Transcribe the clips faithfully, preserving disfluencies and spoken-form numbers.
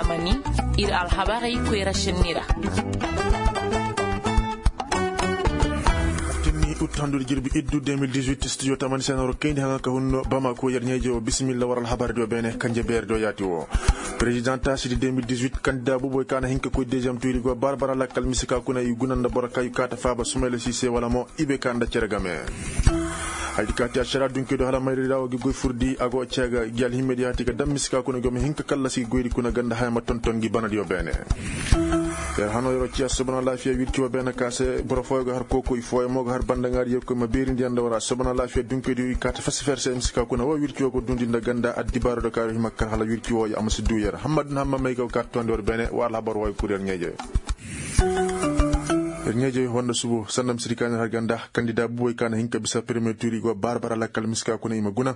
Mani ir alhabarey koy ra šenni ra. Tinni ut handu da jirbi iddu deux mille dix-huit studio tamani senaro kayndi haŋa ka hunno bamako yer ɲayje wo bisimilla war alhabar do beene kanje beer do yaati wo. Président taasi di deux mille dix-huit kandida buboy ka na hin ka koy deuxième tuuri go barbara lakkal misika kuna i guna nda boro ka i kaata faaba sumayla sise wala mo i be ka nda cere game. Haydi kaati ašara dunke do hala mayri ra wo gi goy furdi a go ceega gi alhimmedi yaati ga dam misika kuna go ma hin ka kallasi goyri kuna ganda haya ma tonton gi banadi wo beene. Yer hano yer wo ciya sobona laafiya wirci wo beene ka se boro fooyo ga har kooko i fooyo mo ga har bandaŋaari yer koy ma beerindi yaŋ da wara sobona laafiya dunke do i kaata fasifer se misika kuna wo wirci wo go dundi nda ganda addibaaro do kaari hima kar hala wirci wo ya a ma si du yer hammadu na hamma may ga wo kaata tondi war beene wa alhabar wo ay kur yer ɲeeje. Yer ɲeeje wanda subo sanda misiri ka ɲa har ganda kandida buboy ka na hin ka bisa premier tuuri go baara bara lakkal misika kuna i ma guna.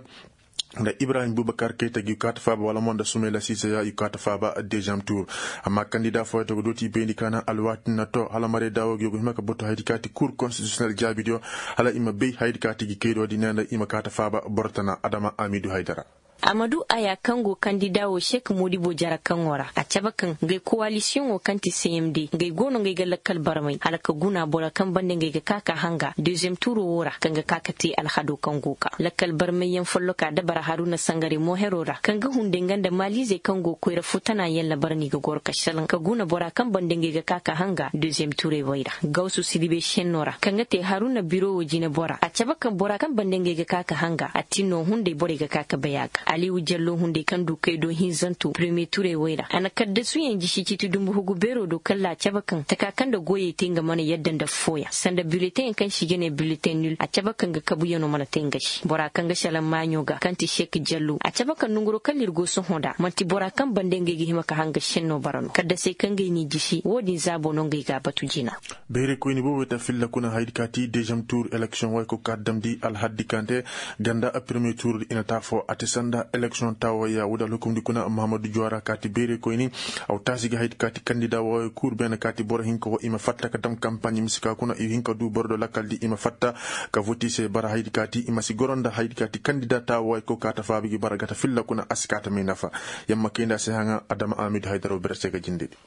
Nda ibrahim bubakar kayta gi kaata faaba wala mo nda sumayla sise ya i kaata faaba deuxième tuur. Amma kandida fooyo to ga dooti i bayndi ka na alwaati na to hala mare daawo gi yogo hima ka boto haydi kaati kuur konstitisionel jaabidiyo hala i ma bay haydi kaati gi kaydo di ne nda i ma kaata faaba boro tana adama amidu haydara. Amadu aya kaŋ go kandida wo sek modibo jara kaŋo ra a cabe kaŋ ngay kowalisiyoŋo kaŋ ti cmd ngay go no ngay ga lakkal barmay hala ka guna bora kaŋ bande ngay ga ka ka hanga deuxième tuuro wo ra kaŋ ga ka ka te alhado kaŋ go ka lakkal barmayyaŋ folloka dabara haruna sangare mohero ra kaŋ ga hunday nga nda maaliizey kaŋ go koyra futana yaŋ labar no i ga goro ka salaŋ ka guna bora kaŋ bande ngay ga ka ka hanga deuxième tuurey way ra gawsu siribe šenno ra kaŋ ga te haruna biro wo jinebora a cabe kaŋ bora kaŋ bande ngay ga ka ka hanga a tin no hunday borey ga ka ka bay a ga aliwu jallo hunday kaŋ du kay do hinzanto premier tuurey way ra a na kaddasuyaŋ jisi ciiti dumbu hugu beero do kalla a cabe kaŋ taka kaŋ nda goyey te nga mana yadda nda fooyaŋ sanda bileteŋ kaŋ se i ga ne bileteŋ nul a cabe kaŋ ga kabuyaŋo mana te nga se bora kaŋ ga salaŋ maaɲo ga kaŋ ti sek jallo a cabe kaŋ nanguro kalla ir go sohõ nda man'ti bora kaŋ bande ngey ga hima ka hanga senno bara no kaddasey kaŋ ngey n'i jisi wo-din zaabo no ngey ga a batu jina. Beerey koyni boobo ta filla kuna haydi ka ti deuxième tuur eleksiyoŋ wayko ka damndi alhaddi kaŋ te ganda premier tuur di i na taafo a ti sanda eleksiyoŋ taawayya wo-din alhukumndi kuna muhammadu juwara ka ti beerey koyni. Aw taasi ga haydi ka ti kandida wooyo kuur beene ka ti boro hinka wo i ma fatta ka dam kampaaɲi mise ka kuna i hinka du boro do lakkal di i ma fatta ka voti se bara haydi ka ti i ma si goro nda haydi ka ti kandida taawayko ka ta faabi gi bara ga ta filla kuna a si ka ta may nafa. Yamma kayndi a se haŋa adama amidu haydaro bere se ga jinde di.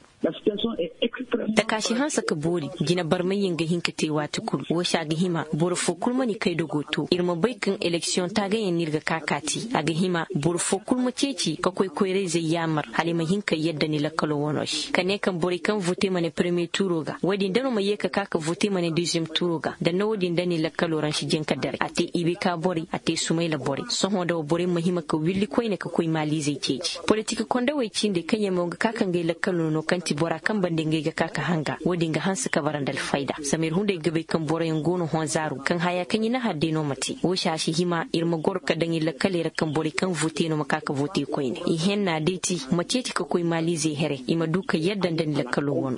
Takaasi hanse ka boori. Jina barmayyaŋ ga hin ka te waati kul wo se a ga hima boro foo kul ma ni kay dogo to ir ma bay kaŋ eleksiyoŋ taagayaŋ no ir ga ka ka te a ga hima boro foo kul ma ceeci ka koy koyrayzey yaamar hala i ma hin ka yadda ni lakkaloo wanoo se ka ne kaŋ borey kaŋ vote ma ne parmiye tuuroo ga wo-din da no ma yee ka ka ka vote ma ne deziyem tuuroo ga nda nda wo-din da ni lakkaloo ra ni si jin ka daray a te ibekaa borey a te sumayla borey sohõ nda wa borey ma hima ka willi koyne ka koy maaliizey ceeci politik kondawey cindey kaŋ yaŋ mo ga ka ka ngey lakkaloo no kaŋ ti bora kaŋ bande ngey ga ka ka hanga wo-din ga hanse ka bara nda alfayda zama ir hunday ga bay kaŋ boroyaŋ go no honzaaru kaŋ haya kaŋ i na har day no ma te wo se a si hima ir ma goro ka daŋ ir lakkaley ra kaŋ borey kaŋ vote no ma ka ka vote koyne i henna day ti ma ceeci ka koy maaliizey here i ma du ka yadda nda ni lakkaloo wano.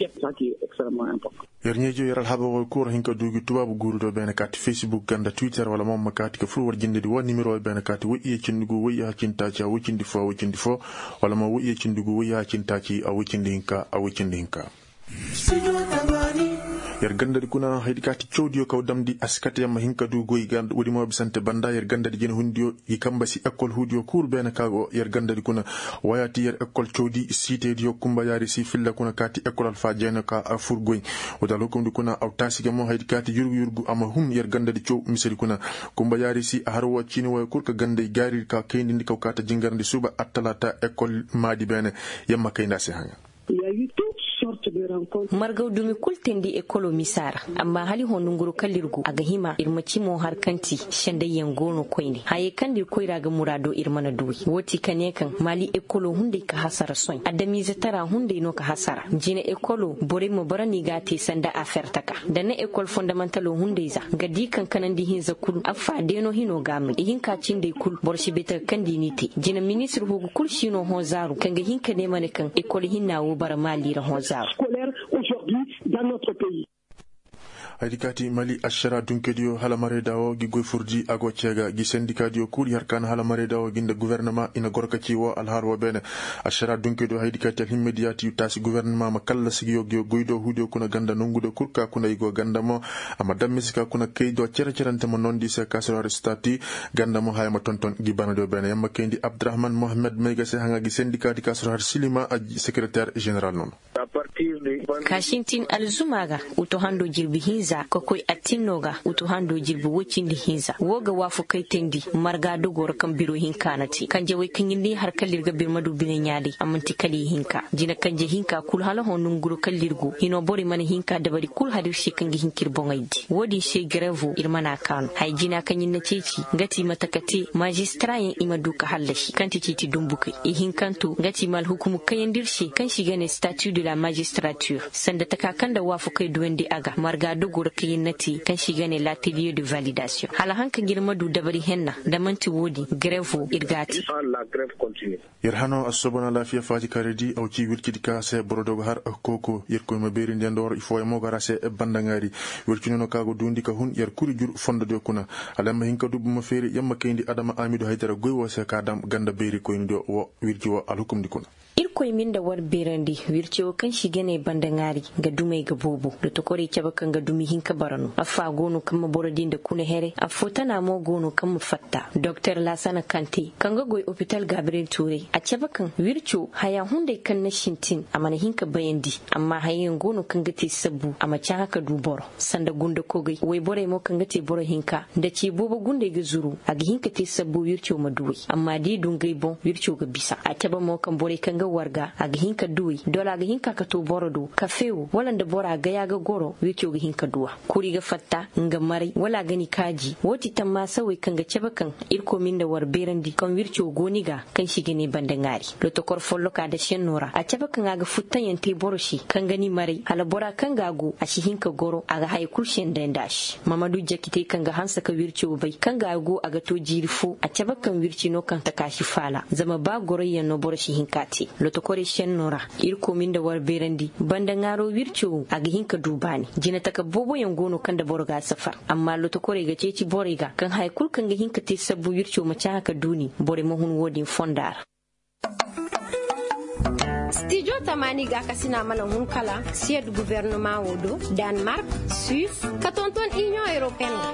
Yer ɲeejo yer alhabaroo kura hin ka du gi tubaabu guuru do beene kaati facebook ga nda twitter wala mo ma kaati ka fur war jindedi wa nimero beene kaati woy iye cindi gu woy iye cindi taaci a woy cindi fo a woy cindi fo wala mo woy iye cindi gu woy iye cindi taaci a woy cindi hinka a woy cindi hinka. Yer gandadi kuna haydi kaati cawdiyo kaw damndi a si kate yer ma hin ka du goy ga woodi mo bisante banda yer gandadi jina hundiyo i kamba si ekol huudiyo kuuru beene ka go yer gandadi kuna. Waya ti yer ekol cawdi siitediyo kumba yaari si filla kuna kaati ekol alfa jeene ka a fur goy. Wada alhukumdi kuna aw taasi ga mo haydi kaati yurgu yurgu a ma hun yer gandadi caw misedi kuna. Kumba yaari si a har wo ciini waya kul ka gandey gaaridi ka kayndindi kaw kaata jingarndi suuba attalaata ekol maadi beene. Yamma kayndi a si haŋa. Margaw dumi kul teendi ekoloo misa ra. Amma hala i hõ nonguroo kaŋ ir go a ga hima ir ma ci mo har kaŋ ti sendayyaŋ go no koyne hayey kaŋ nda ir koyra ga muraadoo ir mana duw'ey woo ti ka ne kaŋ maali ekoloo hunday ka hasara sohõ adamiize tara hunday no ka hasara jine ekoloo borey ma bara no i g'a te sanda afer taka nda na ekol fondamantaloo hunday za nga di kaŋ kanandi hinza kul affa deeno hinoo g'a may ihinka cindey kul boro si bay taka kaŋ nda i n'i te jine ministir hugu kul si no hõ zaaru kaŋ ga hin ka ne ma ne kaŋ ekol hinna woo bara maali ra hõ zaaru. Haydi kaati mali ašara dunkediyo hala marayda wo gi goy furdi a go ceega gi sendikadiyo kul i har ka na hala marayda wo gi nda gofornama i na goro ka ci wo alhaal wo beene. Ašara dunkediyo haydi kaati alhimmediyaati taasi gofornama ma kallasi gi yo gi goydo huudiyo kuna ganda nongudiyo kul ka kuna i go ganda mo. A ma dammisi ka kuna kaydo cere-cerante ma noondi se ka sir har stati. Ganda mo haya ma tonton gi banadiyo beene yamma kayndi abdurahman mohammed mayga se haŋa gi sendikaadi ka sir har silima a sekereter ženeral nono. Ka sintin alzuma ga uto hando jirbi hinza ka koy attinno ga uto hando jirbi woy cindi hinza wo ga waafu kay teendi. Marga dogo ra kaŋ biro hinka na te kanje wey kaŋ ir n'i har kala ir ga bir ma du bine ɲaaday a man'ti kala i hinka jina kanje hinka kul hala hõ nonguro kala ir go hino borey mana hinka dabari kul har ir se kaŋ ga hin ka ir boŋey di wo-din se gareevo ir mana kaanu haya jina kaŋ ir na ceeci nga ti mate ka te maazistara yaŋ i ma du ka hallasi kaŋ ti ciiti dumbukey ihinkanto nga ti i ma alhukumu kayandi ir se kaŋ se i ga ne statu de la maazistaratir sanda taka kaŋ nda waafakey duwandi a ga marga dogo ra kaŋ ir na te kaŋ se i ga ne laateliye de validasiyoŋ hala haŋ kaŋ ir ma du dabari henna nda man'ti wo-din gareevo ir g'a te. Ir hano assooba na alaafiya faati karedi aw ci wircidi ka se boro do ga har kooko yerkoy ma beerindi nda war i fooyaŋ mo ga ra se banda ŋaari. Wirci nono ka go duundi ka hun yer kuri jur fondodiyo kuna. Hala yamma hin ka du buma feeri yamma kayndi adama aamidu haydara goy wo se ka dam ganda beerikoynidiyo wo wirci wo alhukumdi kuna. Irkoy ma nda war beerandi wirci wo kaŋ se i ga ne banda ŋaari. Nga dumey ga boobo lotokorey cabe kaŋ ga dumi hinka bara no affo a go no kaŋ ma boro di nda kuna here affo tana mo go no kaŋ ma fatta doktor laasana kante kaŋ ga goy opital gabriyel tuuray a cabe kaŋ wirco haya hunday kaŋ na sintin a mana hin ka bayandi. Amma hayayaŋ go no kaŋ ga te sabbu a ma cahã ka du boro sanda gundakogey woyborey mo kaŋ ga te boro hinka nda ce boobo gundey ga zuru a ga hin ka te sabbu wirco ma duwey amma da i du ngey boŋ wirco ga bisa a cabe mo kaŋ borey kaŋ ga warga a ga hin ka duwey dola a ga hin ka ka to boro do kafe wo wala nda bora gaya ga goro wirco ga hin ka duwa kuri ga fatta nga maray wala a ga ni kaaji wo ti tammaasawey kaŋ ga cabe kaŋ irkoy ma nda war beerandi kaŋ wirco go ni ga kaŋ se i ga ne banda ŋaari. Lotokor folloka nda senno ra a cabe kaŋ a ga futtayaŋ te boro se kaŋ ga ni maray hala bora kaŋ ga a go a si hin ka goro a ga haya kul sendey nda a se mamadu jakitey kaŋ ga hanse ka wirco bay kaŋ ga a go a ga to jiiri fo a cabe kaŋ wirci no kaŋ taka si faala zama ba goroyyaŋ no boro si hin ka te. Lotokorey senno ra irkoy ma nda war beerandi banda ŋaaro wirco wo a ga hin ka du baani jinataka booboyaŋ go no kaŋ nda boro ga a safar amma lotokorey ga ceeci borey ga kaŋ haya kul kaŋ ga hin ka te sabbu wirco ma cahã ka duuni borey ma hun wo-din fonda ra. Stijo tamaani gaakasina mana hun kala siyed gubernama wo do, danmark, suis, ka tonton inion europeen ga.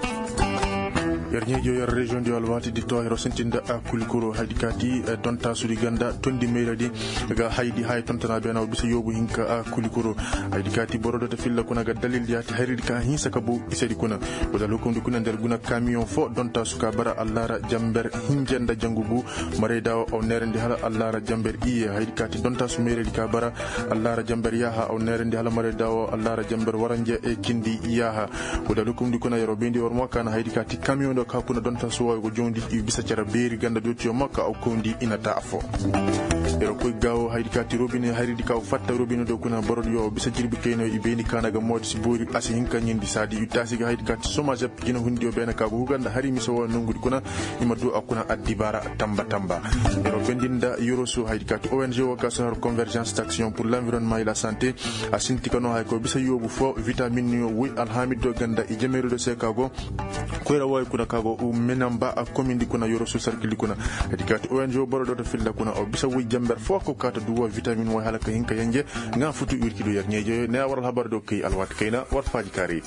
Yer ɲeejo yer reziyoŋ diyo alwaati di to hiro sintin nda a kulikuro haydi kaati dontaasudi ganda tondi meyradi ga haydi haya tontona beena wo bisa yoobu hinka a kulikuro. Haydi kaati boro do ta filla kuna ga dalil yaati hayridi ka hinsa ka bow isedi kuna. Wala hukumdi kuna nder guna kamiyoŋ fo dontaasu ka bara allaara jamber hinja nda jangu gu. Marayda wo aw neerandi hala allaara jamber iye haydi kaati dontaasu meeraydi ka bara allaara jamber yaaha aw neerandi hala marayda wo allaara jamber waranja e cindi yaaha. Wala hukumdi kuna yeroo bayndi war mo kaana haydi kaati kamiyoŋ do ka kuna dontaasu wo ay go joondi i bisa cere beeri ganda dotiyo mo ka aw kawndi i na ta afo. Yeroo koy gaawo haydi kaati robine hayridi ka aw fatta robine do kuna borodiyo bisa jirbi kayno i bayndi kaana ga moodi si boori a si hinka ɲindi saadi i taasi ga haydi kaati somage jina hundiyo beene ka go huga nda hari mise wo nongudi kuna. I ma du a kuna addibaara tamba tamba. Yeroo bendi nda yorosu haydi kaati ong wo ka sohor convergence d'action pour l'environnement et la santé. A sinti ka no hay ko bisa yoobu fo vitamin yo woy alhaamidiyo ganda i jameeridiyo se ka go koyra wooyo kuna ka go menamba a komindi kuna yorosu sarkildi kuna. Haydi kaati ong boro do ta filla kuna o bisa woy jamber fo ko kaata du wo vitamin woy hala ka hin ka yenje. Nga futu wirkidu yer ɲeejoyo ne a war alhabar do kay alwaati kayna war faaji kaari.